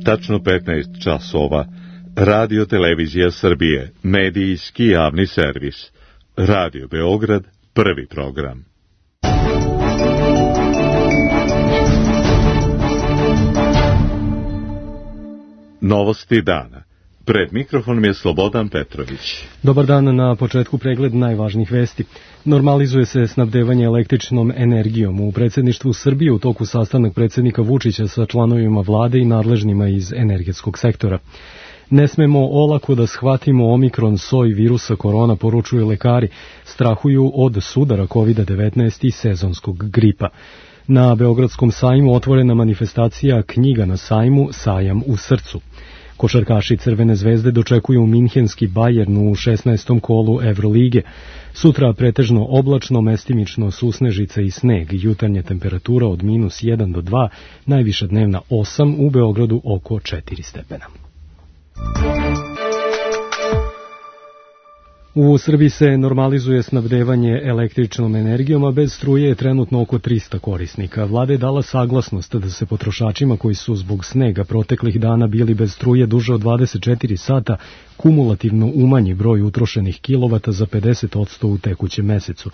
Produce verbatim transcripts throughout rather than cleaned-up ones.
Tačno petnaest časova. Radio Televizija Srbije, medijski javni servis. Radio Beograd, prvi program. Novosti dana. Pred mikrofonom je Slobodan Petrović. Dobar dan, na početku pregled najvažnijih vesti. Normalizuje se snabdevanje električnom energijom. U predsjedništvu Srbije u toku sastanak predsjednika Vučića sa članovima vlade i nadležnima iz energetskog sektora. Ne smemo olako da shvatimo omikron soj virusa korona, poručuju lekari. Strahuju od sudara kovid devetnaest i sezonskog gripa. Na Beogradskom sajmu otvorena manifestacija Knjiga na sajmu, sajam u srcu. Košarkaši Crvene zvezde dočekuju minhenski Bayern u šesnaestom kolu Evrolige. Sutra pretežno oblačno, mestimično susnežica i sneg, jutarnja temperatura od minus jedan do dva, najviša dnevna osam, u Beogradu oko četiri stepena. U Srbiji se normalizuje snabdevanje električnom energijom, a bez struje je trenutno oko trista korisnika. Vlada je dala saglasnost da se potrošačima koji su zbog snega proteklih dana bili bez struje duže od dvadeset četiri sata kumulativno umanji broj utrošenih kilovata za pedeset odsto u tekućem mesecu.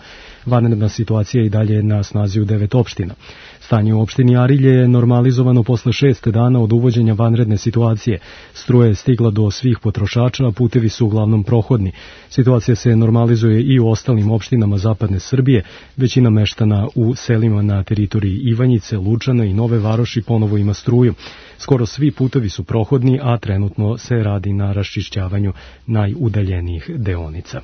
Vanredna situacija i dalje je na snazi u devet opština. Stanje u opštini Arilje je normalizovano posle šest dana od uvođenja vanredne situacije. Struja je stigla do svih potrošača, a putevi su uglavnom prohodni. Situacija se normalizuje i u ostalim opštinama zapadne Srbije. Većina meštana u selima na teritoriji Ivanjice, Lučana i Nove Varoši ponovo ima struju. Skoro svi putevi su prohodni, a trenutno se radi na raščišćavanju najudaljenijih deonica.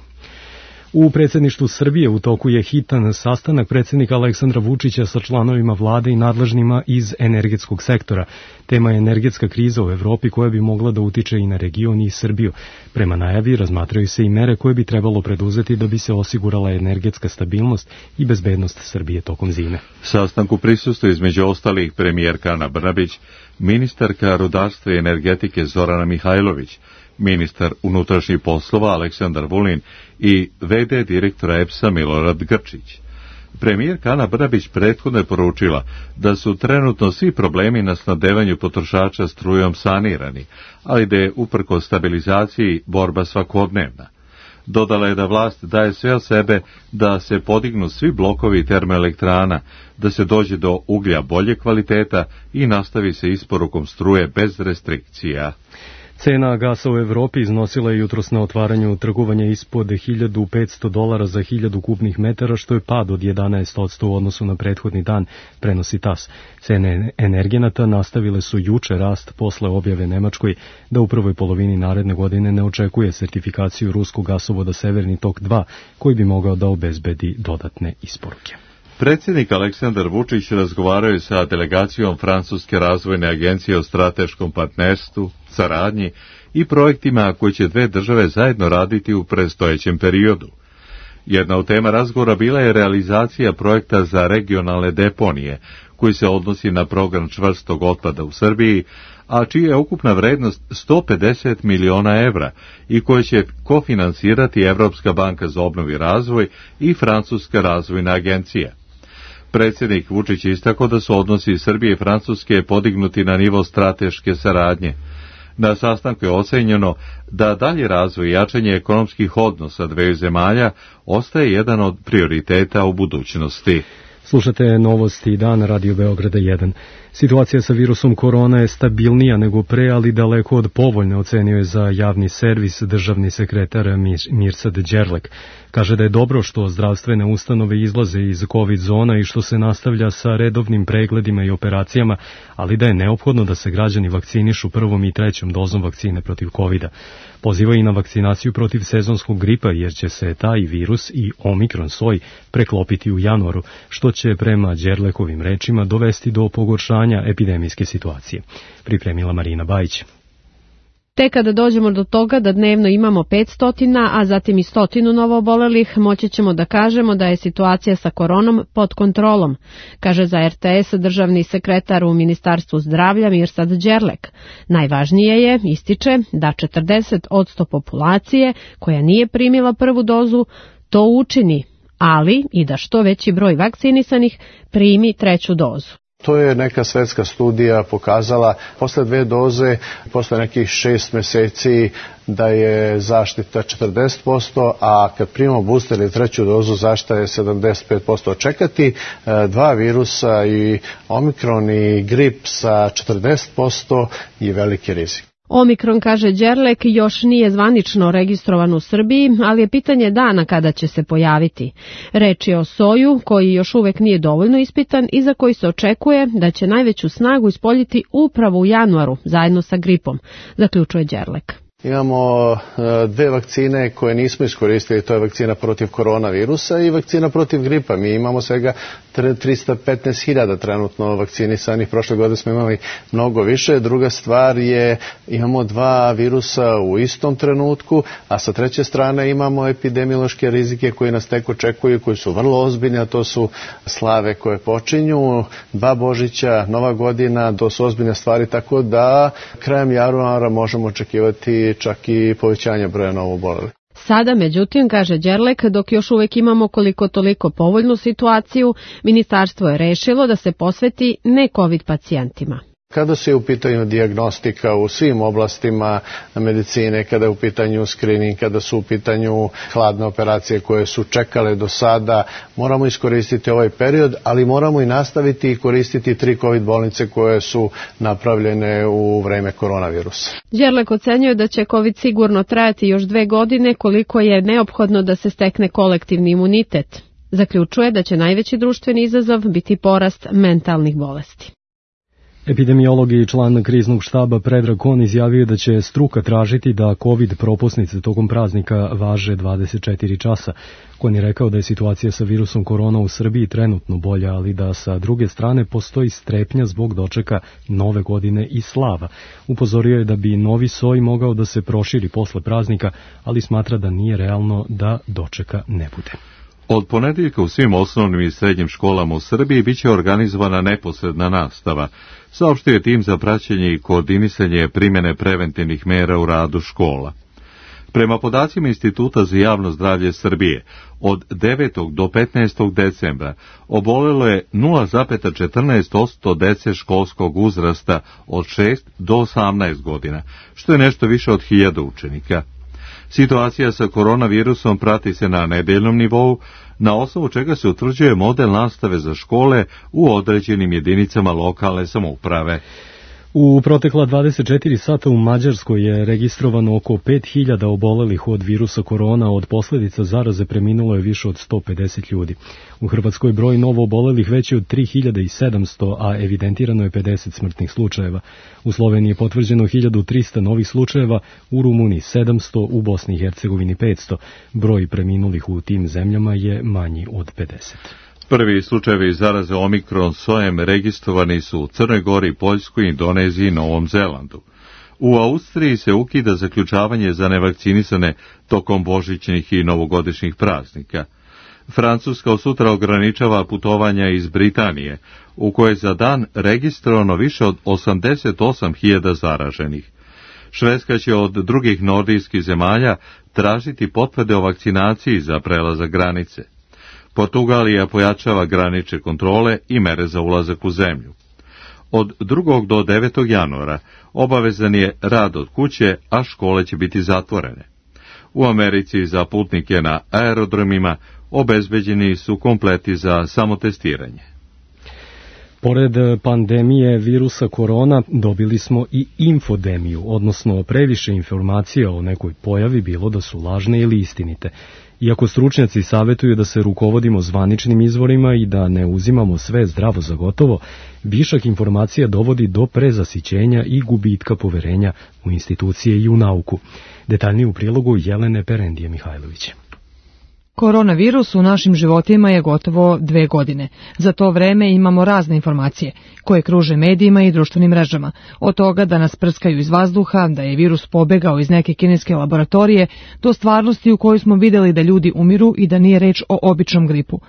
U predsjedništvu Srbije u toku je hitan sastanak predsjednika Aleksandra Vučića sa članovima vlade i nadležnima iz energetskog sektora. Tema je energetska kriza u Evropi koja bi mogla da utiče i na region i Srbiju. Prema najavi razmatraju se i mere koje bi trebalo preduzeti da bi se osigurala energetska stabilnost i bezbednost Srbije tokom zime. Sastanku prisustvuje između ostalih premijerka Ana Brnabić, ministarka rudarstva i energetike Zorana Mihajlović, ministar unutrašnjih poslova Aleksandar Vulin i ve de direktora E P S-a Milorad Grčić. Premijerka Ana Brnabić prethodno je poručila da su trenutno svi problemi na snabdevanju potrošača strujom sanirani, ali da je uprkos stabilizaciji borba svakodnevna. Dodala je da vlast daje sve od sebe da se podignu svi blokovi termoelektrana, da se dođe do uglja bolje kvaliteta i nastavi se isporukom struje bez restrikcija. Cena gasa u Evropi iznosila je jutros na otvaranju trgovanja ispod hiljadu petsto dolara za hiljadu kubnih metara, što je pad od jedanaest odsto u odnosu na prethodni dan, prenosi tas. Cene energenata nastavile su juče rast posle objave Nemačkoj da u prvoj polovini naredne godine ne očekuje sertifikaciju ruskog gasovoda Severni tok dva, koji bi mogao da obezbedi dodatne isporuke. Predsjednik Aleksandar Vučić razgovarao je sa delegacijom Francuske razvojne agencije o strateškom partnerstvu, saradnji i projektima koji će dve države zajedno raditi u predstojećem periodu. Jedna od tema razgovora bila je realizacija projekta za regionalne deponije, koji se odnosi na program čvrstog otpada u Srbiji, a čija je ukupna vrednost sto pedeset miliona evra i koje će kofinansirati Evropska banka za obnovu i razvoj i Francuska razvojna agencija. Predsjednik Vučić istakao da su odnosi Srbije i Francuske podignuti na nivo strateške saradnje. Na sastanku je ocenjeno da dalji razvoj i jačanje ekonomskih odnosa dveju zemalja ostaje jedan od prioriteta u budućnosti. Slušate novosti dan Radio Beograda jedan. Situacija sa virusom korona je stabilnija nego pre, ali daleko od povoljne, ocenio je za javni servis državni sekretar Mirsad Đerlek. Kaže da je dobro što zdravstvene ustanove izlaze iz COVID zona i što se nastavlja sa redovnim pregledima i operacijama, ali da je neophodno da se građani vakcinišu prvom i trećom dozom vakcine protiv kovida. Poziva i na vakcinaciju protiv sezonskog gripa, jer će se taj virus i omikron soj preklopiti u januaru, što će prema Đerlekovim rečima dovesti do pogoršanja epidemijske situacije. Pripremila Marina Bajić. Te kada dođemo do toga da dnevno imamo petsto, a zatim i stotinu novoobolelih, moći ćemo da kažemo da je situacija sa koronom pod kontrolom, kaže za er te es državni sekretar u Ministarstvu zdravlja Mirsad Đerlek. Najvažnije je, ističe, da četrdeset odsto populacije koja nije primila prvu dozu to učini, ali i da što veći broj vakcinisanih primi treću dozu. To je neka svetska studija pokazala posle dve doze, posle nekih šest meseci da je zaštita četrdeset posto, a kad primamo booster ili treću dozu zaštita je sedamdeset pet posto. Čekati dva virusa i omikron i grip sa četrdeset posto je veliki rizik. Omikron, kaže Đerlek, još nije zvanično registrovan u Srbiji, ali je pitanje dana kada će se pojaviti. Reč je o soju koji još uvek nije dovoljno ispitan i za koji se očekuje da će najveću snagu ispoljiti upravo u januaru, zajedno sa gripom, zaključuje Đerlek. Imamo dve vakcine koje nismo iskoristili, to je vakcina protiv koronavirusa i vakcina protiv gripa. Mi imamo svega trista petnaest hiljada trenutno vakcinisanih, prošle godine smo imali mnogo više. Druga stvar je, imamo dva virusa u istom trenutku, a sa treće strane imamo epidemiološke rizike koji nas tek očekuju, koji su vrlo ozbiljni, a to su slave koje počinju, dva Božića, Nova godina, to su ozbiljne stvari, tako da krajem januara možemo očekivati čak i povećanje broja novoobolelih. Sada, međutim, kaže Đerlek, dok još uvek imamo koliko toliko povoljnu situaciju, ministarstvo je rešilo da se posveti ne COVID pacijentima. Kada se je u pitanju dijagnostika u svim oblastima medicine, kada je u pitanju screening, kada su u pitanju hladne operacije koje su čekale do sada, moramo iskoristiti ovaj period, ali moramo i nastaviti i koristiti tri COVID bolnice koje su napravljene u vreme koronavirusa. Đerlek ocenjuje da će COVID sigurno trajati još dve godine koliko je neophodno da se stekne kolektivni imunitet. Zaključuje da će najveći društveni izazov biti porast mentalnih bolesti. Epidemiolog i član kriznog štaba Predrag Kon izjavio da će struka tražiti da COVID propusnice tokom praznika važe dvadeset četiri časa. Kon je rekao da je situacija sa virusom korona u Srbiji trenutno bolja, ali da sa druge strane postoji strepnja zbog dočeka nove godine i slava. Upozorio je da bi novi soj mogao da se proširi posle praznika, ali smatra da nije realno da dočeka ne bude. Od ponedeljka u svim osnovnim i srednjim školama u Srbiji biće organizovana neposredna nastava, saopštio je tim za praćenje i koordinisanje primjene preventivnih mera u radu škola. Prema podacima Instituta za javno zdravlje Srbije, od devetog do petnaestog decembra obolelo je nula zarez četrnaest posto dece školskog uzrasta od šest do osamnaest godina, što je nešto više od hiljadu učenika. Situacija sa koronavirusom prati se na nedeljnom nivou, na osnovu čega se utvrđuje model nastave za škole u određenim jedinicama lokalne samouprave. U protekla dvadeset četiri sata u Mađarskoj je registrovano oko pet hiljada obolelih od virusa korona, od posledica zaraze preminulo je više od sto pedeset ljudi. U Hrvatskoj broj novo obolelih veći od tri hiljade sedamsto, a evidentirano je pedeset smrtnih slučajeva. U Sloveniji je potvrđeno hiljadu trista novih slučajeva, u Rumuniji sedamsto, u Bosni i Hercegovini petsto. Broj preminulih u tim zemljama je manji od pedeset. Prvi slučajevi zaraze omikron sojem registrovani su u Crnoj Gori, Poljskoj, Indoneziji i Novom Zelandu. U Austriji se ukida zaključavanje za nevakcinisane tokom božićnih i novogodišnjih praznika. Francuska od sutra ograničava putovanja iz Britanije, u kojoj za dan registrovano više od osamdeset osam hiljada zaraženih. Švedska će od drugih nordijskih zemalja tražiti potvrde o vakcinaciji za prelazak granice. Portugalija pojačava granične kontrole i mere za ulazak u zemlju. Od drugog do devetog januara obavezan je rad od kuće, a škole će biti zatvorene. U Americi za putnike na aerodromima obezbeđeni su kompleti za samotestiranje. Pored pandemije virusa korona dobili smo i infodemiju, odnosno previše informacija o nekoj pojavi, bilo da su lažne ili istinite. Iako stručnjaci savjetuju da se rukovodimo zvaničnim izvorima i da ne uzimamo sve zdravo za gotovo, višak informacija dovodi do prezasićenja i gubitka poverenja u institucije i u nauku. Detaljnije u prilogu Jelene Perendije Mihajlović. Koronavirus u našim životima je gotovo dve godine. Za to vreme imamo razne informacije koje kruže medijima i društvenim mrežama. Od toga da nas prskaju iz vazduha, da je virus pobegao iz neke kineske laboratorije, do stvarnosti u kojoj smo vidjeli da ljudi umiru i da nije reč o običnom gripu.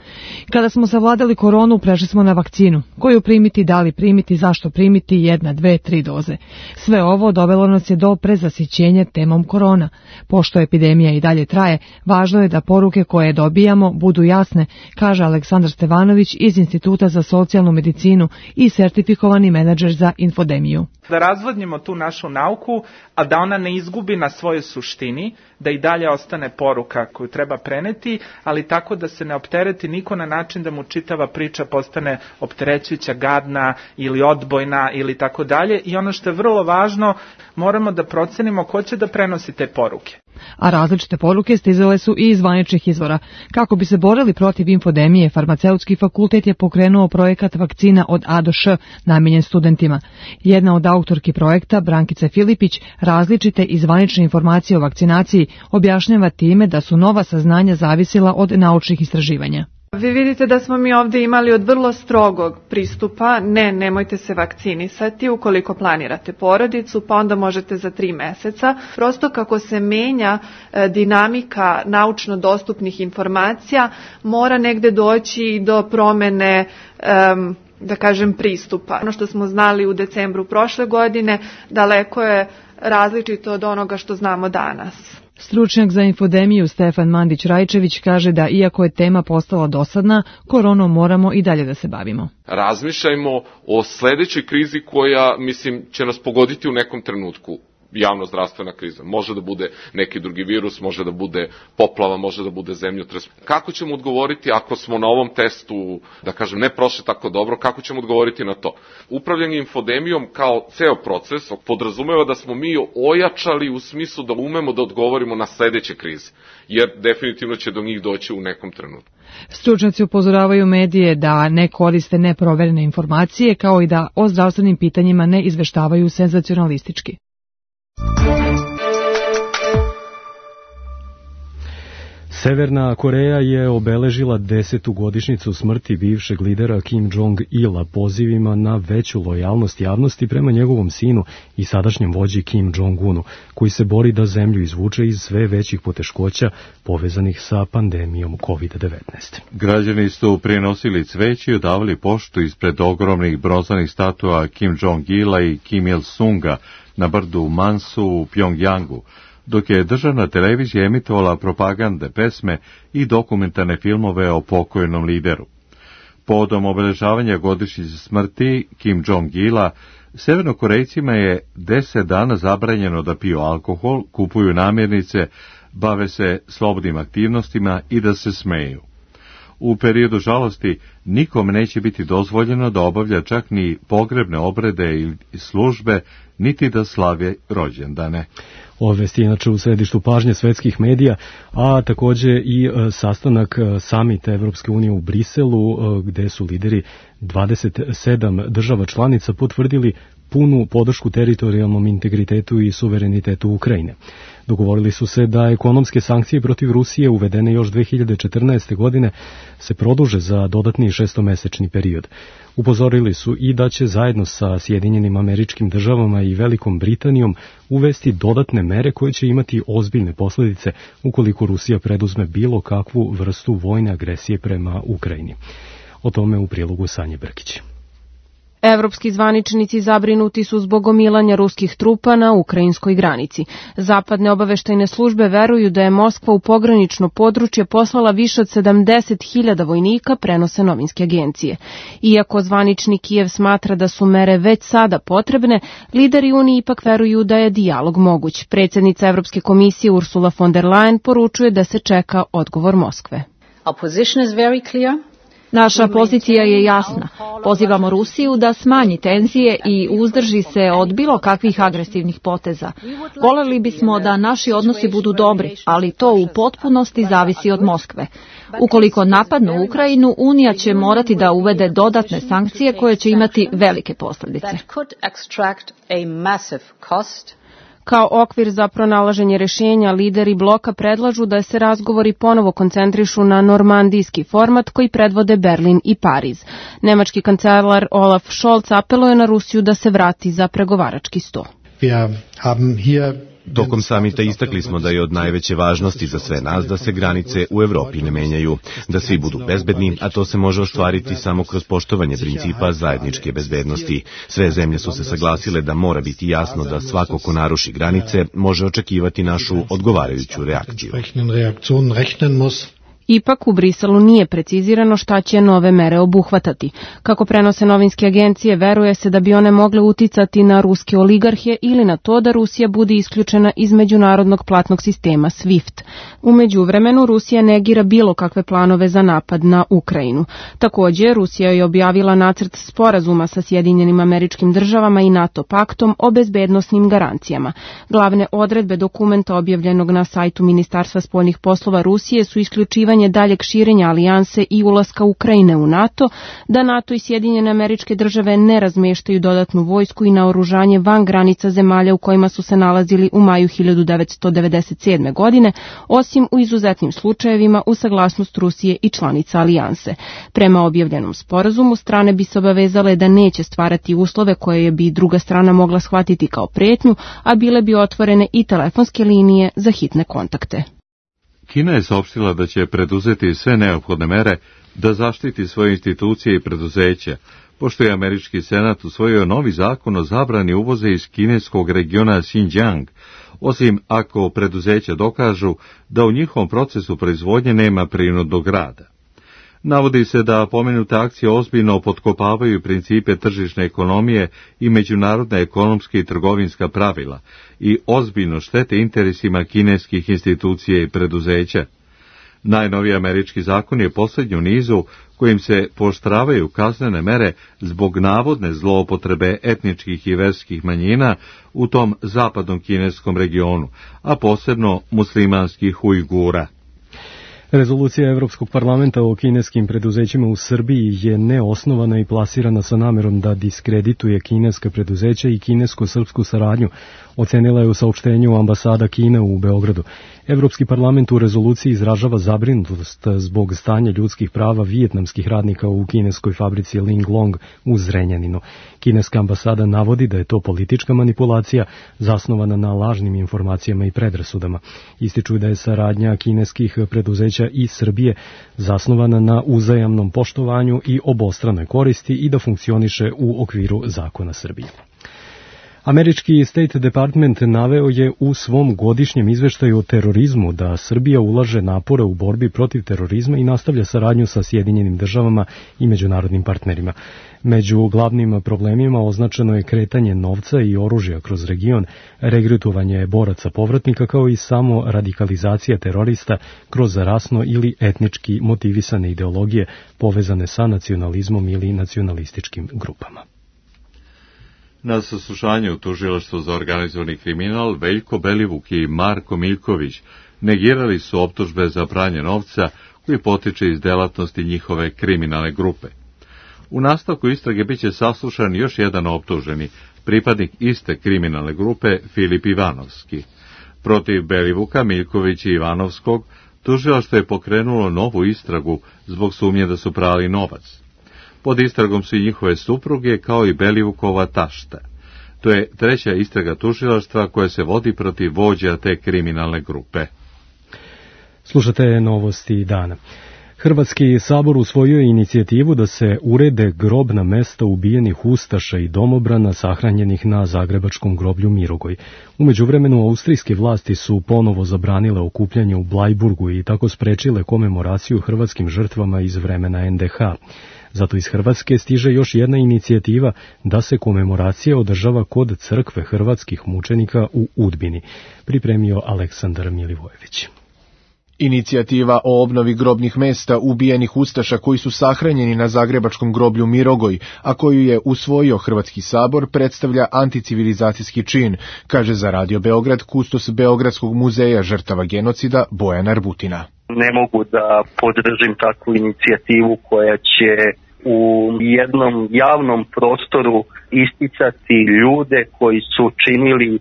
Kada smo savladali koronu, prešli smo na vakcinu. Koju primiti, da li primiti, zašto primiti, jedna, dve, tri doze. Sve ovo dovelo nas je do prezasićenja temom korona. Pošto epidemija i dalje traje, važno je da poruke koje koje dobijamo budu jasne, kaže Aleksandar Stevanović iz Instituta za socijalnu medicinu i sertifikovani menadžer za infodemiju. Da razvodnimo tu našu nauku, a da ona ne izgubi na svojoj suštini, da i dalje ostane poruka koju treba preneti, ali tako da se ne optereti niko na način da mu čitava priča postane opterećujuća, gadna ili odbojna ili tako dalje. I ono što je vrlo važno, moramo da procenimo ko će da prenosi te poruke. A različite poruke stizale su i iz zvaničnih izvora. Kako bi se borili protiv infodemije, Farmaceutski fakultet je pokrenuo projekat vakcina od A do Š namenjen studentima. Jedna od autorki projekta, Brankica Filipić, različite i zvanične informacije o vakcinaciji objašnjava time da su nova saznanja zavisila od naučnih istraživanja. Vi vidite da smo mi ovdje imali od vrlo strogog pristupa, ne, nemojte se vakcinisati ukoliko planirate porodicu, pa onda možete za tri meseca. Prosto kako se menja e, dinamika naučno dostupnih informacija, mora negde doći i do promene, e, da kažem, pristupa. Ono što smo znali u decembru prošle godine, daleko je različito od onoga što znamo danas. Stručnjak za infodemiju Stefan Mandić-Rajčević kaže da iako je tema postala dosadna, koronom moramo i dalje da se bavimo. Razmišljajmo o sledećoj krizi koja, mislim, će nas pogoditi u nekom trenutku. Javno-zdravstvena kriza. Može da bude neki drugi virus, može da bude poplava, može da bude zemljotres. Kako ćemo odgovoriti ako smo na ovom testu, da kažem, ne prošli tako dobro, kako ćemo odgovoriti na to? Upravljanje infodemijom kao ceo proces podrazumeva da smo mi ojačali u smislu da umemo da odgovorimo na sledeće krize, jer definitivno će do njih doći u nekom trenutku. Stručnjaci upozoravaju medije da ne koriste neproverene informacije, kao i da o zdravstvenim pitanjima ne izveštavaju senzacionalistički. Severna Koreja je obeležila desetu godišnjicu smrti bivšeg lidera Kim Jong-ila pozivima na veću lojalnost javnosti prema njegovom sinu i sadašnjem vođi Kim Jong-unu, koji se bori da zemlju izvuče iz sve većih poteškoća povezanih sa pandemijom kovid devetnaest. Građani su prinosili cveće i odavali poštu ispred ogromnih bronzanih statua Kim Jong-ila i Kim Il-sunga na brdu Mansu u Pjongjangu, dok je državna televizija emitovala propagandne pesme i dokumentarne filmove o pokojnom lideru. Povodom obeležavanja godišnjice smrti Kim Jong-ila, Severnokorejcima je deset dana zabranjeno da piju alkohol, kupuju namirnice, bave se slobodnim aktivnostima i da se smeju. U periodu žalosti nikom neće biti dozvoljeno da obavlja čak ni pogrebne obrede ili službe, niti da slave rođendane. Ove vesti inače u središtu pažnje svetskih medija, a takođe i e, sastanak e, samita Evropske unije u Briselu, e, gde su lideri dvadeset sedam država članica potvrdili punu podršku teritorijalnom integritetu i suverenitetu Ukrajine. Dogovorili su se da ekonomske sankcije protiv Rusije uvedene još dve hiljade četrnaeste. godine se produže za dodatni šestomesečni period. Upozorili su i da će zajedno sa Sjedinjenim Američkim Državama i Velikom Britanijom uvesti dodatne mere koje će imati ozbiljne posljedice ukoliko Rusija preduzme bilo kakvu vrstu vojne agresije prema Ukrajini. O tome u prilogu Sanje Brkić. Evropski zvaničnici zabrinuti su zbog gomilanja ruskih trupa na ukrajinskoj granici. Zapadne obaveštajne službe veruju da je Moskva u pogranično područje poslala više od sedamdeset hiljada vojnika, prenose novinske agencije. Iako zvanični Kijev smatra da su mere već sada potrebne, lideri Unije ipak veruju da je dijalog moguć. Predsjednica Evropske komisije Ursula von der Leyen poručuje da se čeka odgovor Moskve. Our position is very clear. Naša pozicija je jasna. Pozivamo Rusiju da smanji tenzije i uzdrži se od bilo kakvih agresivnih poteza. Voljeli bismo da naši odnosi budu dobri, ali to u potpunosti zavisi od Moskve. Ukoliko napadnu Ukrajinu, Unija će morati da uvede dodatne sankcije koje će imati velike posljedice. Kao okvir za pronalaženje rješenja, lideri bloka predlažu da se razgovori ponovo koncentrišu na normandijski format koji predvode Berlin i Pariz. Nemački kancelar Olaf Scholz apeluje na Rusiju da se vrati za pregovarački sto. Tokom samita istakli smo da je od najveće važnosti za sve nas da se granice u Evropi ne menjaju, da svi budu bezbedni, a to se može ostvariti samo kroz poštovanje principa zajedničke bezbednosti. Sve zemlje su se saglasile da mora biti jasno da svako ko naruši granice može očekivati našu odgovarajuću reakciju. Ipak u Briselu nije precizirano šta će nove mere obuhvatati. Kako prenose novinske agencije, veruje se da bi one mogle uticati na ruske oligarhe ili na to da Rusija bude isključena iz međunarodnog platnog sistema SWIFT. U međuvremenu Rusija negira bilo kakve planove za napad na Ukrajinu. Također, Rusija je objavila nacrt sporazuma sa Sjedinjenim Američkim Državama i NATO paktom o bezbednosnim garancijama. Glavne odredbe dokumenta objavljenog na sajtu Ministarstva spoljnih poslova Rusije su isključivanje daljeg širenja alijanse i ulaska Ukrajine u NATO, da NATO i Sjedinjene Američke Države ne razmeštaju dodatnu vojsku i naoružanje van granica zemalja u kojima su se nalazili u maju hiljadu devetsto devedeset sedme. godine, osim u izuzetnim slučajevima uz saglasnost Rusije i članica alijanse. Prema objavljenom sporazumu, strane bi se obavezale da neće stvarati uslove koje bi druga strana mogla shvatiti kao pretnju, a bile bi otvorene i telefonske linije za hitne kontakte. Kina je saopštila da će preduzeti sve neophodne mere da zaštiti svoje institucije i preduzeća, pošto je američki senat usvojio novi zakon o zabrani uvoza iz kineskog regiona Xinjiang, osim ako preduzeća dokažu da u njihovom procesu proizvodnje nema prinudnog rada. Navodi se da pomenute akcije ozbiljno potkopavaju principe tržišne ekonomije i međunarodna ekonomska i trgovinska pravila i ozbiljno štete interesima kineskih institucija i preduzeća. Najnoviji američki zakon je posljednji u nizu kojim se pooštravaju kaznene mere zbog navodne zloupotrebe etničkih i verskih manjina u tom zapadnom kineskom regionu, a posebno muslimanskih Ujgura. Rezolucija Evropskog parlamenta o kineskim preduzećima u Srbiji je neosnovana i plasirana sa namerom da diskredituje kineska preduzeća i kinesko-srpsku saradnju, ocenila je u saopštenju ambasada Kine u Beogradu. Evropski parlament u rezoluciji izražava zabrinutost zbog stanja ljudskih prava vijetnamskih radnika u kineskoj fabrici Linglong u Zrenjaninu. Kineska ambasada navodi da je to politička manipulacija zasnovana na lažnim informacijama i predrasudama. Ističu da je saradnja kineskih preduzeća i Srbije zasnovana na uzajamnom poštovanju i obostranoj koristi i da funkcioniše u okviru zakona Srbije. Američki State Department naveo je u svom godišnjem izveštaju o terorizmu da Srbija ulaže napore u borbi protiv terorizma i nastavlja saradnju sa Sjedinjenim Državama i međunarodnim partnerima. Među glavnim problemima označeno je kretanje novca i oružja kroz region, regrutovanje boraca povratnika kao i samo radikalizacija terorista kroz rasno ili etnički motivisane ideologije povezane sa nacionalizmom ili nacionalističkim grupama. Na saslušanju u tužilaštvu za organizovani kriminal Veljko Belivuk i Marko Miljković negirali su optužbe za pranje novca koji potiče iz delatnosti njihove kriminalne grupe. U nastavku istrage biće saslušan još jedan optuženi, pripadnik iste kriminalne grupe Filip Ivanovski. Protiv Belivuka, Miljkovića i Ivanovskog tužilaštvo je pokrenulo novu istragu zbog sumnje da su prali novac. Pod istragom su i njihove supruge kao i Belivukova tašta. To je treća istraga tužilaštva koja se vodi protiv vođa te kriminalne grupe. Slušate novosti dana. Hrvatski sabor usvojio je inicijativu da se urede grobna mesta ubijenih ustaša i domobrana sahranjenih na zagrebačkom groblju Mirogoj. U međuvremenu austrijske vlasti su ponovo zabranile okupljanje u Blajburgu i tako sprečile komemoraciju hrvatskim žrtvama iz vremena en de ha. Zato iz Hrvatske stiže još jedna inicijativa da se komemoracija održava kod crkve hrvatskih mučenika u Udbini, pripremio Aleksandar Milivojević. Inicijativa o obnovi grobnih mesta ubijenih ustaša koji su sahranjeni na zagrebačkom groblju Mirogoj, a koju je usvojio Hrvatski sabor, predstavlja anticivilizacijski čin, kaže za Radio Beograd kustos Beogradskog muzeja žrtava genocida Bojan Arbutina. Ne mogu da podržim takvu inicijativu koja će u jednom javnom prostoru isticati ljude koji su činili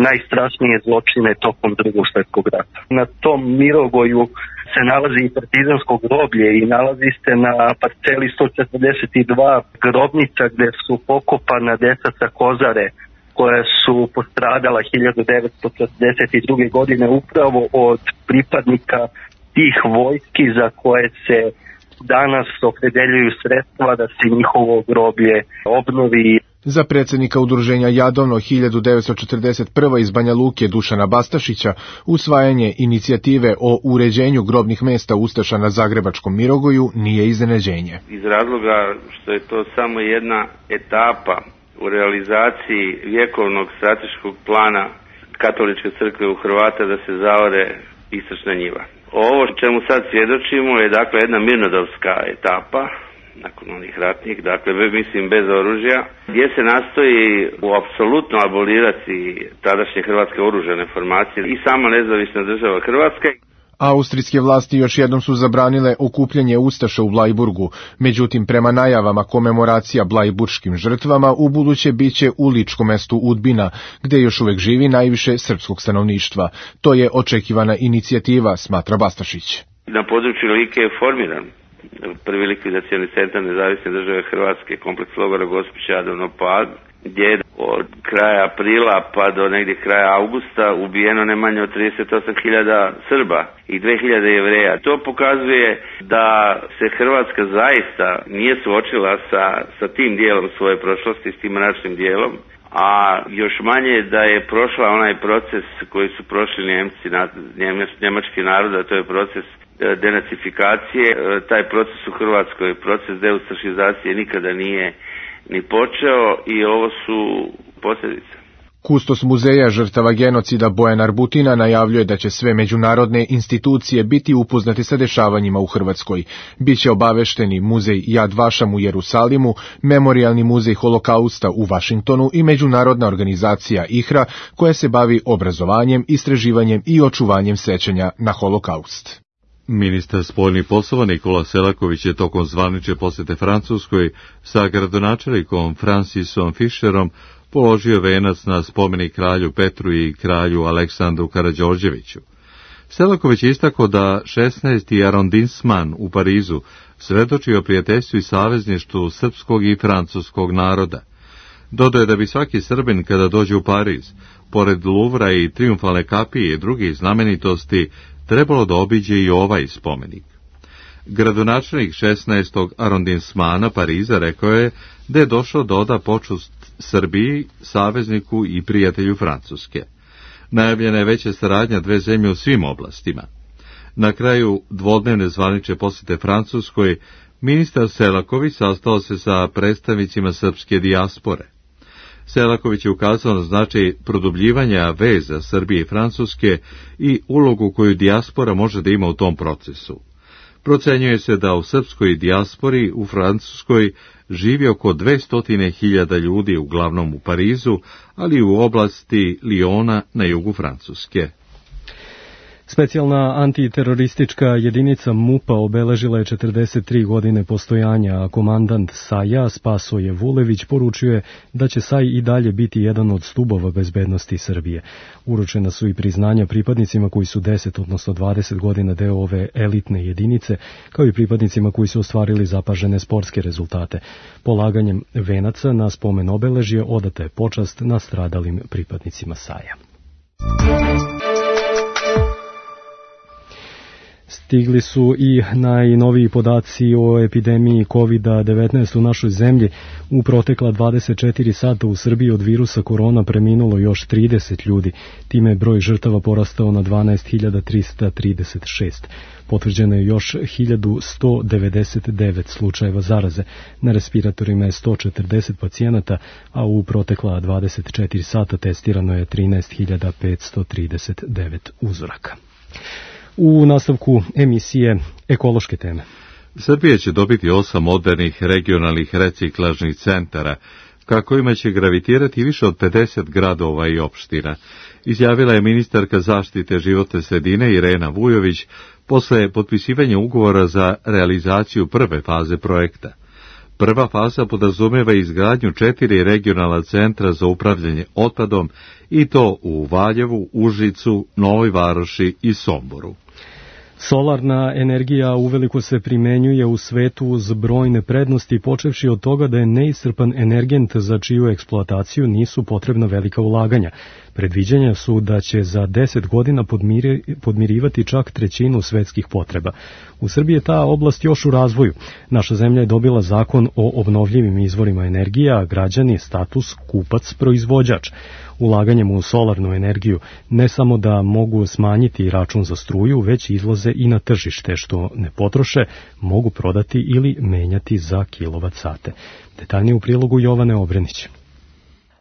najstrašnije zločine tokom Drugog svjetskog rata. Na tom Mirogoju se nalazi i partizansko groblje i nalazi se na parceli sto četrdeset dva grobnica gde su pokopana deca sa Kozare koja su postradala hiljadu devetsto četrdeset druge. godine upravo od pripadnika tih vojski za koje se danas opredeljuju sredstva da se njihovo groblje obnovi. Za predsjednika udruženja Jadovno hiljadu devetsto četrdeset prve iz Banja Luke Dušana Bastašića usvajanje inicijative o uređenju grobnih mesta ustaša na Zagrebačkom Mirogoju nije iznenađenje. Iz razloga što je to samo jedna etapa u realizaciji vjekovnog strateškog plana Katoličke crkve u Hrvata da se zaore istočna njiva. Ovo čemu sad svjedočimo je dakle jedna mirnodopska etapa, nakon onih ratnih, dakle mislim bez oružja, gdje se nastoji u apsolutno abolirati tadašnje hrvatske oružane formacije i sama nezavisna država Hrvatska. Austrijske vlasti još jednom su zabranile okupljanje ustaša u Blajburgu, međutim prema najavama komemoracija blajburškim žrtvama u buduće biće u ličkom mestu Udbina, gdje još uvek živi najviše srpskog stanovništva. To je očekivana inicijativa, smatra Bastašić. Na području Like je formiran prvi likvidacioni centar nezavisne države Hrvatske, kompleks logora Gospić, Jadovno, Pag, gdje je od kraja aprila pa do negdje kraja augusta ubijeno ne manje od trideset osam hiljada Srba i dve hiljade Jevreja. To pokazuje da se Hrvatska zaista nije suočila sa, sa tim dijelom svoje prošlosti, s tim mračnim dijelom, a još manje da je prošla onaj proces koji su prošli Njemci, njemački narod, a to je proces denacifikacije. Taj proces u Hrvatskoj, proces deustašizacije nikada nije ni počeo i ovo su posljedice. Kustos muzeja žrtava genocida Bojan Arbutina najavljuje da će sve međunarodne institucije biti upoznati sa dešavanjima u Hrvatskoj. Biće obavešteni muzej Jad Vašam u Jerusalimu, Memorijalni muzej holokausta u Vašingtonu i međunarodna organizacija I H R A koja se bavi obrazovanjem, istraživanjem i očuvanjem sećanja na holokaust. Ministar spoljnih poslova Nikola Selaković je tokom zvanične posjete Francuskoj sa gradonačelnikom Francisom Fischerom položio venac na spomenik kralju Petru i kralju Aleksandru Karađorđeviću. Selaković je istakao da šesnaesti arondisman u Parizu svedoči o prijateljstvu i savezništvu srpskog i francuskog naroda. Dodao je da bi svaki Srbin kada dođe u Pariz, pored Luvra i Trijumfalne kapije i drugih znamenitosti, trebalo da obiđe i ovaj spomenik. Gradonačelnik šesnaestog arondismana Pariza rekao je da je došao da oda počast Srbiji, savezniku i prijatelju Francuske. Najavljena je veća saradnja dve zemlje u svim oblastima. Na kraju dvodnevne zvanične posjete Francuskoj, ministar Selaković sastao se sa predstavnicima srpske dijaspore. Selaković je ukazao na značaj produbljivanja veza Srbije i Francuske i ulogu koju dijaspora može da ima u tom procesu. Procenjuje se da u srpskoj dijaspori u Francuskoj živi oko dvesta hiljada ljudi, uglavnom u Parizu, ali i u oblasti Liona na jugu Francuske. Specijalna antiteroristička jedinica MUP-a obeležila je četrdeset tri godine postojanja, a komandant Saja Spasoje Vulević poručuje da će Saj i dalje biti jedan od stubova bezbednosti Srbije. Uručena su i priznanja pripadnicima koji su deset, odnosno dvadeset godina deo ove elitne jedinice, kao i pripadnicima koji su ostvarili zapažene sportske rezultate. Polaganjem venaca na spomen obeležje odata je počast nastradalim pripadnicima Saja. Stigli su i najnoviji podaci o epidemiji kovid devetnaest u našoj zemlji. U protekla dvadeset četiri sata u Srbiji od virusa korona preminulo još trideset ljudi. Time je broj žrtava porastao na dvanaest hiljada trista trideset šest. Potvrđeno je još hiljadu sto devedeset devet slučajeva zaraze. Na respiratorima je sto četrdeset pacijenata, a u protekla dvadeset četiri sata testirano je trinaest hiljada petsto trideset devet uzoraka. U nastavku emisije ekološke teme. Srbija će dobiti osam modernih regionalnih reciklažnih centara, ka kojima će gravitirati više od pedeset gradova i opština, izjavila je ministarka zaštite životne sredine Irena Vujović posle potpisivanja ugovora za realizaciju prve faze projekta. Prva faza podrazumeva izgradnju četiri regionalna centra za upravljanje otpadom i to u Valjevu, Užicu, Novoj Varoši i Somboru. Solarna energija uveliko se primenjuje u svetu uz brojne prednosti, počevši od toga da je neiscrpan energent za čiju eksploataciju nisu potrebna velika ulaganja. Predviđanja su da će za deset godina podmiri, podmirivati čak trećinu svetskih potreba. U Srbiji je ta oblast još u razvoju. Naša zemlja je dobila zakon o obnovljivim izvorima energije, a građani status kupac-proizvođač. Ulaganjem u solarnu energiju ne samo da mogu smanjiti račun za struju, već izlaze i na tržište, što ne potroše, mogu prodati ili menjati za kilovat sate. Detaljnije u prilogu Jovane Obrenić.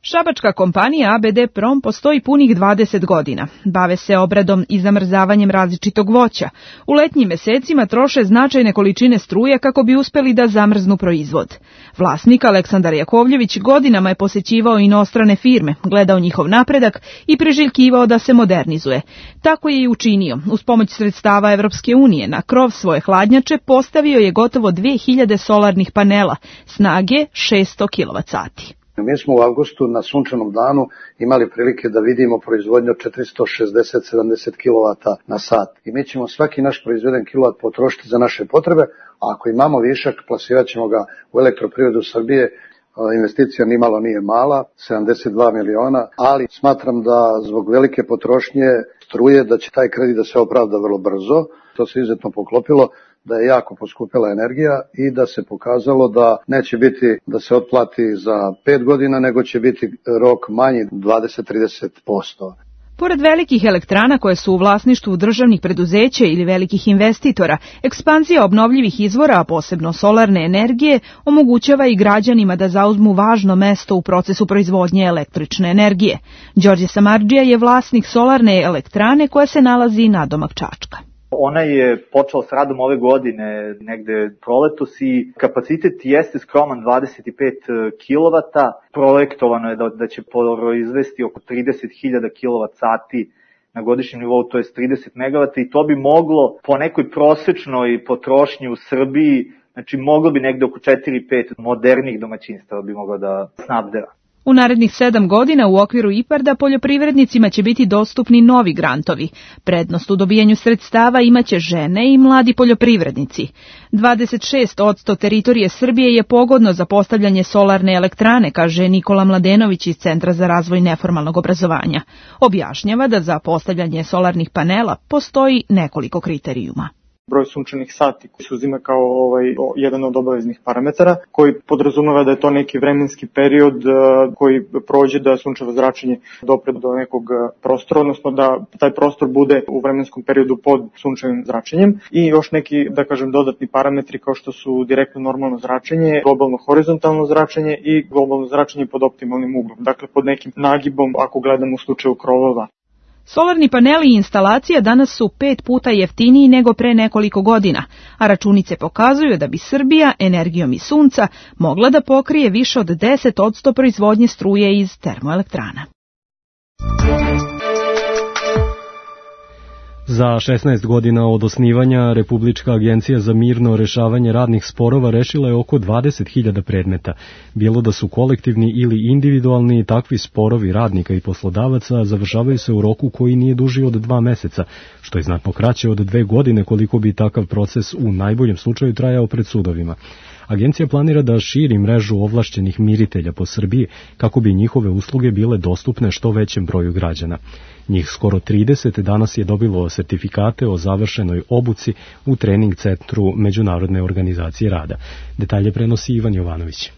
Šabačka kompanija A B D Prom postoji punih dvadeset godina. Bave se obradom i zamrzavanjem različitog voća. U letnjim mesecima troše značajne količine struje kako bi uspeli da zamrznu proizvod. Vlasnik Aleksandar Jakovljević godinama je posećivao inostrane firme, gledao njihov napredak i priželjkivao da se modernizuje. Tako je i učinio. Uz pomoć sredstava Evropske unije na krov svoje hladnjače postavio je gotovo dve hiljade solarnih panela, snage šesto kilovat sati. Mi smo u avgustu na sunčanom danu imali prilike da vidimo proizvodnju četiristo šezdeset do sedamdeset kilovata na sat. I mi ćemo svaki naš proizveden kilovat potrošiti za naše potrebe, a ako imamo višak, plasirat ćemo ga u elektroprivredu Srbije. Investicija nimalo nije mala, sedamdeset dva miliona, ali smatram da zbog velike potrošnje struje da će taj kredit da se opravda vrlo brzo. To se izuzetno poklopilo da je jako poskupila energija i da se pokazalo da neće biti da se otplati za pet godina, nego će biti rok manji dvadeset do trideset posto. Pored velikih elektrana koje su u vlasništvu državnih preduzeća ili velikih investitora, ekspanzija obnovljivih izvora, a posebno solarne energije, omogućava i građanima da zauzmu važno mesto u procesu proizvodnje električne energije. Đorđe Samardžija je vlasnik solarne elektrane koja se nalazi nadomak Čačka. Ona je počela s radom ove godine, negde proletos, i kapacitet jeste skroman dvadeset pet kilovata. Projektovano je da, da će proizvesti oko trideset hiljada kilovat sati na godišnjem nivou, to je trideset megavata, i to bi moglo po nekoj prosečnoj potrošnji u Srbiji, znači moglo bi negde oko četiri do pet modernih domaćinstava bi moglo da snabdeva. U narednih sedam godina u okviru IPARD-a poljoprivrednicima će biti dostupni novi grantovi. Prednost u dobijanju sredstava imaće žene i mladi poljoprivrednici. dvadeset šest posto teritorije Srbije je pogodno za postavljanje solarne elektrane, kaže Nikola Mladenović iz Centra za razvoj neformalnog obrazovanja. Objašnjava da za postavljanje solarnih panela postoji nekoliko kriterijuma. Broj sunčanih sati koji se uzima kao ovaj, jedan od obaveznih parametara, koji podrazumeva da je to neki vremenski period uh, koji prođe da sunčevo zračenje dopre do nekog prostora, odnosno da taj prostor bude u vremenskom periodu pod sunčevim zračenjem, i još neki, da kažem, dodatni parametri kao što su direktno normalno zračenje, globalno horizontalno zračenje i globalno zračenje pod optimalnim uglom, dakle pod nekim nagibom ako gledamo u slučaju krovova. Solarni paneli i instalacija danas su pet puta jeftiniji nego pre nekoliko godina, a računice pokazuju da bi Srbija energijom iz sunca mogla da pokrije više od deset posto proizvodnje struje iz termoelektrana. Za šesnaest godina od osnivanja Republička agencija za mirno rešavanje radnih sporova rešila je oko dvadeset hiljada predmeta. Bilo da su kolektivni ili individualni, takvi sporovi radnika i poslodavaca završavaju se u roku koji nije duži od dva meseca, što je znatno kraće od dve godine koliko bi takav proces u najboljem slučaju trajao pred sudovima. Agencija planira da širi mrežu ovlašćenih miritelja po Srbiji kako bi njihove usluge bile dostupne što većem broju građana. Njih skoro trideset danas je dobilo sertifikate o završenoj obuci u trening centru Međunarodne organizacije rada. Detalje prenosi Ivan Jovanović.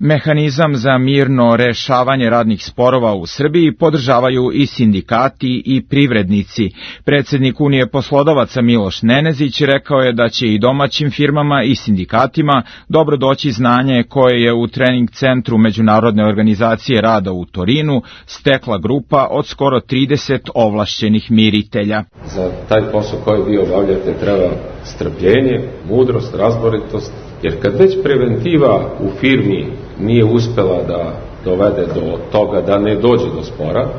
Mehanizam za mirno rešavanje radnih sporova u Srbiji podržavaju i sindikati i privrednici. Predsjednik Unije poslodavaca Miloš Nenezić rekao je da će i domaćim firmama i sindikatima dobro doći znanje koje je u trening centru Međunarodne organizacije rada u Torinu stekla grupa od skoro trideset ovlašćenih miritelja. Za taj posao koji vi obavljate treba strpljenje, mudrost, razboritost, jer kad već preventiva u firmi nije uspela da dovede do toga da ne dođe do spora,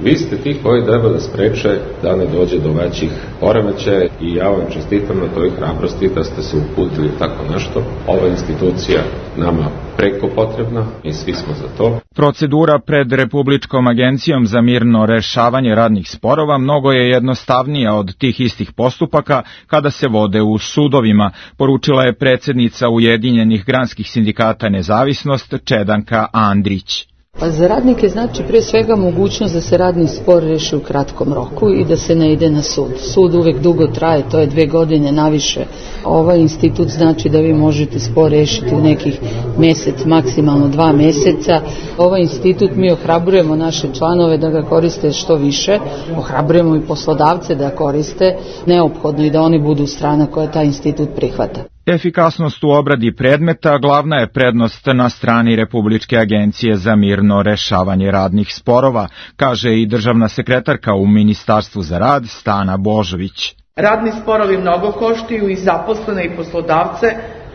vi ste ti koji treba da spreče da ne dođe do većih poremećaja, i ja vam čestitam na toj hrabrosti da ste se uputili tako nešto. Ova institucija nama preko potrebna i svi smo za to. Procedura pred Republičkom agencijom za mirno rešavanje radnih sporova mnogo je jednostavnija od tih istih postupaka kada se vode u sudovima, poručila je predsjednica Ujedinjenih granskih sindikata Nezavisnost Čedanka Andrić. Pa za radnike znači prije svega mogućnost da se radni spor reši u kratkom roku i da se ne ide na sud. Sud uvek dugo traje, to je dve godine naviše. Ovaj institut znači da vi možete spor rešiti u nekih mesec, maksimalno dva meseca. Ovaj institut mi ohrabrujemo naše članove da ga koriste što više, ohrabrujemo i poslodavce da koriste, neophodno i da oni budu strana koja taj institut prihvata. Efikasnost u obradi predmeta glavna je prednost na strani Republičke agencije za mirno rešavanje radnih sporova, kaže i državna sekretarka u Ministarstvu za rad Stana Božović. Radni sporovi mnogo koštaju i zaposlene i poslodavce,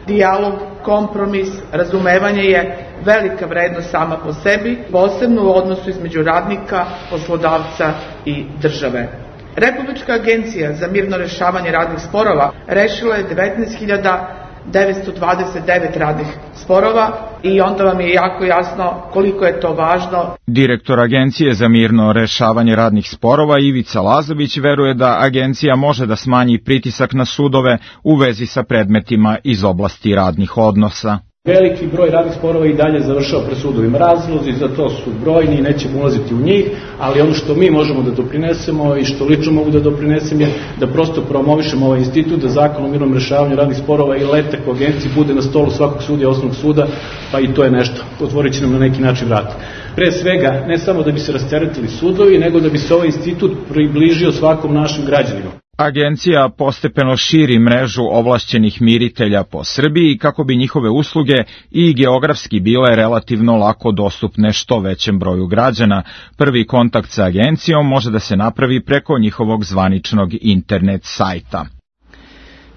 dijalog, kompromis, razumevanje je velika vrednost sama po sebi, posebno u odnosu između radnika, poslodavca i države. Republička agencija za mirno rešavanje radnih sporova rešila je devetnaest hiljada devetsto dvadeset devet radnih sporova i onda vam je jako jasno koliko je to važno. Direktor Agencije za mirno rešavanje radnih sporova Ivica Lazović veruje da agencija može da smanji pritisak na sudove u vezi sa predmetima iz oblasti radnih odnosa. Veliki broj radnih sporova i dalje završava pred sudovima. Razlozi za to su brojni i nećemo ulaziti u njih, ali ono što mi možemo da doprinesemo i što lično mogu da doprinesem je da prosto promovišemo ovaj institut, da zakon o mirnom rešavanju radnih sporova i letak u agenciji bude na stolu svakog sudija osnovnog suda, pa i to je nešto. Otvorit će nam na neki način vrat. Pre svega, ne samo da bi se rasteretili sudovi, nego da bi se ovaj institut približio svakom našem građaninu. Agencija postepeno širi mrežu ovlašćenih miritelja po Srbiji kako bi njihove usluge i geografski bile relativno lako dostupne što većem broju građana. Prvi kontakt sa agencijom može da se napravi preko njihovog zvaničnog internet sajta.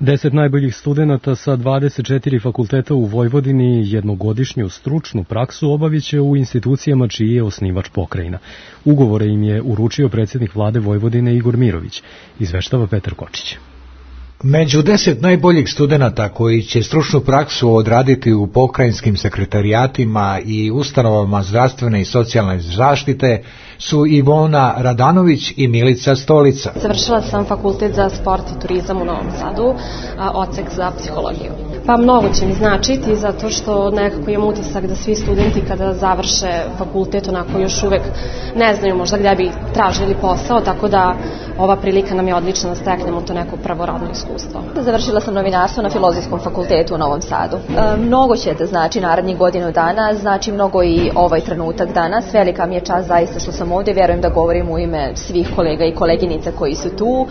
Deset najboljih studenata sa dvadeset četiri fakulteta u Vojvodini jednogodišnju stručnu praksu obaviće u institucijama čiji je osnivač pokrajina. Ugovore im je uručio predsjednik vlade Vojvodine Igor Mirović, izveštava Petar Kočić. Među deset najboljih studenata koji će stručnu praksu odraditi u pokrajinskim sekretarijatima i ustanovama zdravstvene i socijalne zaštite su Ivona Radanović i Milica Stolica. Završila sam fakultet za sport i turizam u Novom Sadu, odsek za psihologiju. Pa mnogo će mi značiti zato što nekako imam utisak da svi studenti kada završe fakultet onako još uvek ne znaju možda gdje bi tražili posao, tako da ova prilika nam je odlična da steknemo to neko pravoradno iskustvo. Završila sam novinarstvo na Filozofskom fakultetu u Novom Sadu. E, mnogo će da znači narednih godinu dana, znači mnogo i ovaj trenutak danas. Velika mi je čast zaista što sam ovdje, vjerujem da govorim u ime svih kolega i koleginica koji su tu.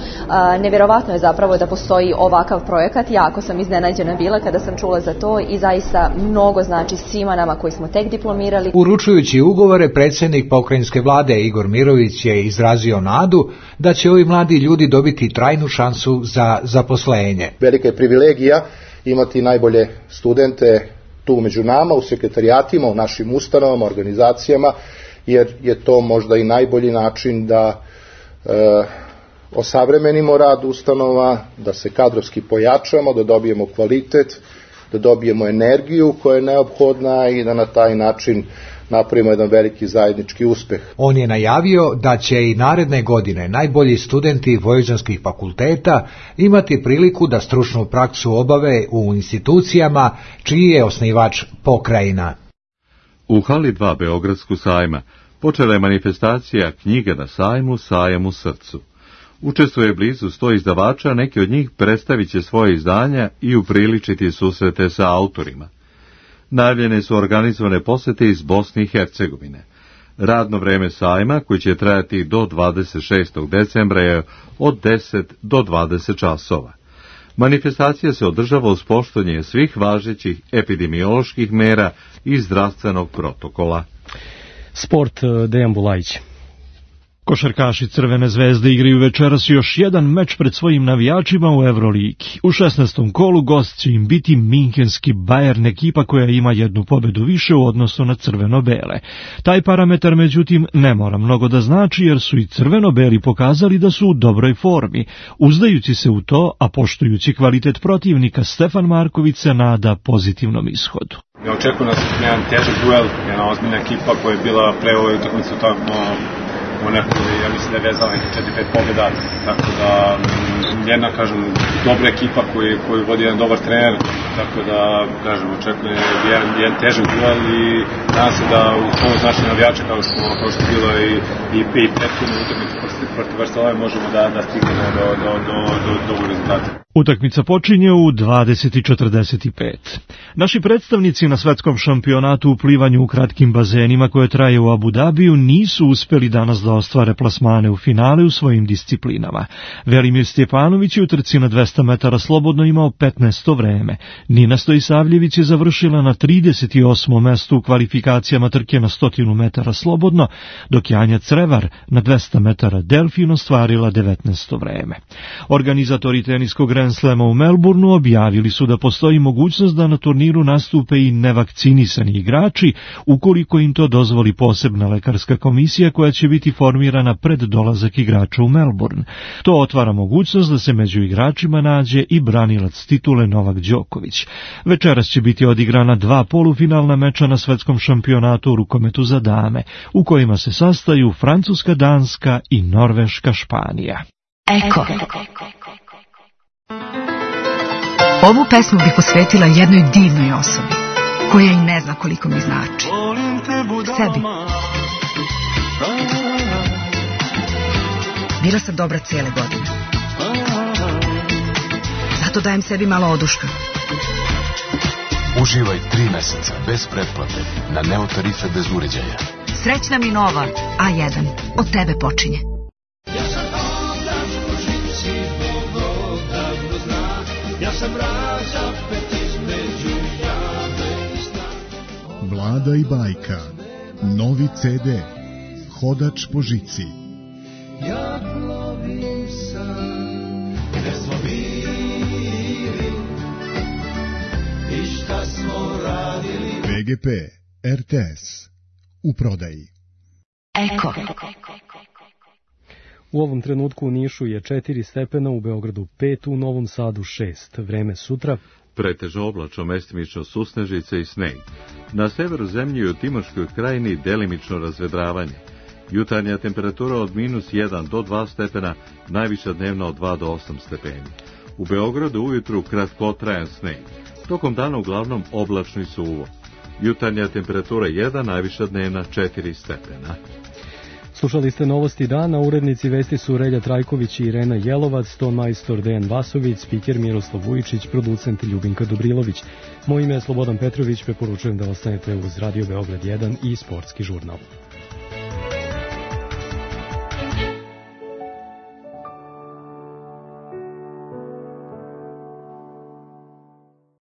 E, nevjerovatno je zapravo da postoji ovakav projekat, jako sam iznenađena bila kada sam čula za to i zaista mnogo znači svima nama koji smo tek diplomirali. Uručujući ugovore, predsjednik pokrajinske vlade Igor Mirović je izrazio nadu da će ovi mladi ljudi dobiti trajnu šansu za zaposlenje. Velika je privilegija imati najbolje studente tu među nama, u sekretarijatima, u našim ustanovama, organizacijama, jer je to možda i najbolji način da e, osavremenimo rad ustanova, da se kadrovski pojačamo, da dobijemo kvalitet, da dobijemo energiju koja je neophodna i da na taj način napravimo jedan veliki zajednički uspeh. On je najavio da će i naredne godine najbolji studenti vojvođanskih fakulteta imati priliku da stručnu praksu obave u institucijama čiji je osnivač pokrajina. U hali dva Beogradsku sajma počela je manifestacija Knjige na sajmu, sajam u srcu. Učestvuje blizu sto izdavača, neki od njih predstavit će svoje izdanja i upriličiti susrete sa autorima. Najavljene su organizovane posete iz Bosne i Hercegovine. Radno vreme sajma, koji će trajati do dvadeset šestog decembra, je od deset do dvadeset časova. Manifestacija se održava uz poštovanje svih važećih epidemioloških mera i zdravstvenog protokola. Sport, Dejan Bulajić. Košarkaši Crvene zvezde igraju večeras još jedan meč pred svojim navijačima u Evroligi. U šesnaestom kolu gost će im biti minhenski Bayern, ekipa koja ima jednu pobedu više u odnosu na crveno-bele. Taj parametar, međutim, ne mora mnogo da znači, jer su i crveno-beli pokazali da su u dobroj formi. Uzdajući se u to, a poštujući kvalitet protivnika, Stefan Marković se nada pozitivnom ishodu. Ja očekujem nas jedan težak duel, jedna ozbiljna ekipa koja je bila pre ovoj utakmici tamo u nekoj, ja mislim da je vezala nekih četiri pet pobjeda, tako da jedna, kažem, dobra ekipa koju, koju vodi jedan dobar trener, tako da, kažem, očekujem jedan, jedan težak duel i nadam se da u pomoć naših navijača, kao što, kao što bilo i, i, i prethodnu utakmicu protiv Barcelone, možemo da, da stignemo do, do, do, do, do ovog rezultata. Utakmica počinje u dvadeset i četrdeset pet. Naši predstavnici na svetskom šampionatu u plivanju u kratkim bazenima koje traje u Abu Dabiju nisu uspeli danas da ostvare plasmane u finale u svojim disciplinama. Velimir Stjepanović je u trci na dvesta metara slobodno imao petnaesto vreme. Nina Stojisavljević je završila na trideset osmom mestu u kvalifikacijama trke na stotinu metara slobodno, dok je Anja Crevar na dvesta metara delfin ostvarila devetnaesto vreme. Organizatori teniskog Grand Slema u Melbourneu objavili su da postoji mogućnost da na turniru nastupe i nevakcinisani igrači, ukoliko im to dozvoli posebna lekarska komisija koja će biti formirana pred dolazak igrača u Melbourne. To otvara mogućnost da se među igračima nađe i branilac titule Novak Đoković. Večeras će biti odigrana dva polufinalna meča na svetskom šampionatu u rukometu za dame, u kojima se sastaju Francuska, Danska i Norveška, Španija. Eko. Ovu pesmu bih posvetila jednoj divnoj osobi, koja i ne zna koliko mi znači. Sebi. Bila sam dobra cijele godine. Zato dajem sebi malo oduška. Uživaj tri meseca bez pretplate na Neo tarife bez uređaja. Srećna mi nova A jedan. Od tebe počinje. Vlada i bajka. Novi ce de. Hodač po žici. Ja plovim sam, gde smo bili i šta smo radili. ve ge pe, er te es, u prodaji. Eko. U ovom trenutku u Nišu je četiri stepena, u Beogradu pet, u Novom Sadu šest. Vreme sutra. Pretežno oblačno, mestimično susnežice i sneg. Na severu zemlje i u Timoškoj krajini delimično razvedravanje. Jutarnja temperatura od minus jedan do dva stepena, najviša dnevna od dva do osam stepeni. U Beogradu ujutru kratkotrajan sneg. Tokom dana uglavnom oblačno i suvo. Jutarnja temperatura jedan, najviša dnevna četiri stepena. Slušali ste novosti dana, urednici vesti su Relja Trajković i Irena Jelovac, ton majstor Dejan Vasović, spiker Miroslav Vujičić, producent Ljubinka Dobrilović. Moje ime je Slobodan Petrović, preporučujem da ostanete uz Radio Beograd jedan i Sportski žurnal.